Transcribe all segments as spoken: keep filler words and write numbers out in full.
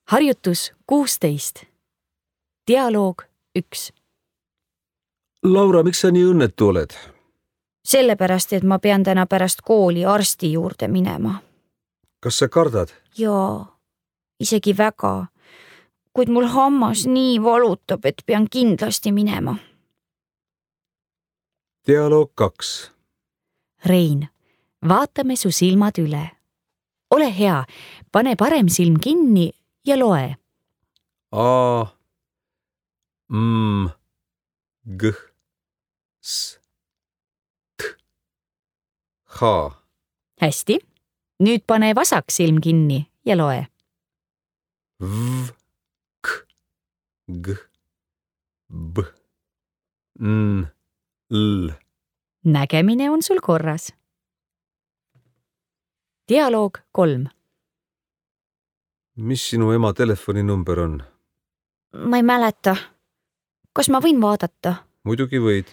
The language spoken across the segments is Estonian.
Harjutus kuusteist. Dialoog üks. Laura, miks sa nii õnnetu oled? Sellepärast, et ma pean täna pärast kooli arsti juurde minema. Kas sa kardad? Jaa, isegi väga. Kuid mul hammas nii valutab, et pean kindlasti minema. Dialoog kaks. Rein, vaatame su silmad üle. Ole hea, pane parem silm kinni ja loe. A, M, G, S, T, H. Hästi. Nüüd pane vasak silm kinni ja loe. V, K, G, B, N, L. Nägemine on sul korras. Dialoog kolm. Mis sinu ema telefoninumber on? Ma ei mäleta. Kas ma võin vaadata? Muidugi võid.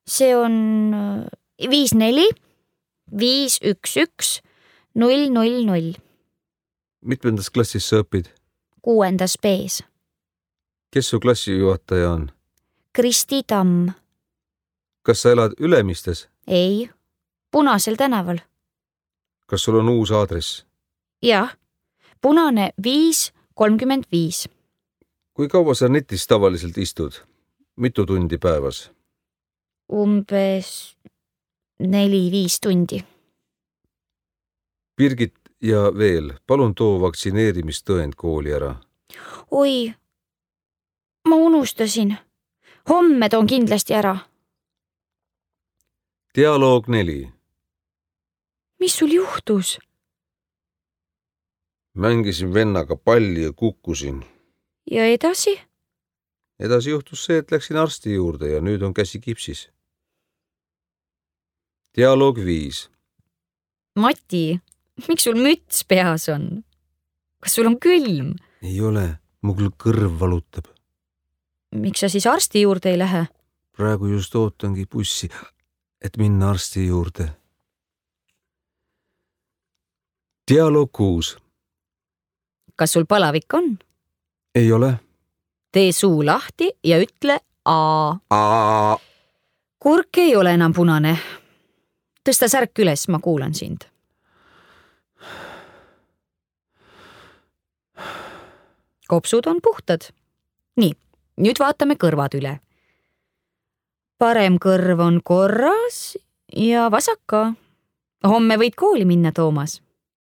See on viis neli, viis üks üks, null null null. Mitmendas klassis sa õpid? Kuuendas B-s. Kes su klassijuhataja on? Kristi Tamm. Kas sa elad Ülemistes? Ei, Punasel tänaval. Kas sul on uus aadress? Jah, Punane viis kolmkümmend viis. Kui kaua sa netis tavaliselt istud? Mitu tundi päevas? Umbes neli-viis tundi. Birgit ja veel, palun too vaktsineerimistõend kooli ära. Oi, ma unustasin. Homme toon kindlasti ära. Dialoog neli. Mis sul juhtus? Mängisin vennaga palli ja kukkusin. Ja edasi? Edasi juhtus see, et läksin arsti juurde ja nüüd on käsi kipsis. Dialoog viis. Mati, miks sul müts peas on? Kas sul on külm? Ei ole, mul kõrv valutab. Miks sa siis arsti juurde ei lähe? Praegu just ootangi bussi, et minna arsti juurde. Dialoog kuus. Kas sul palavik on? Ei ole. Tee suu lahti ja ütle A. A. Kurk ei ole enam punane. Tõsta särk üles, ma kuulan sind. Kopsud on puhtad. Nii, nüüd vaatame kõrvad üle. Parem kõrv on korras ja vasak ka. Homme võid kooli minna, Toomas.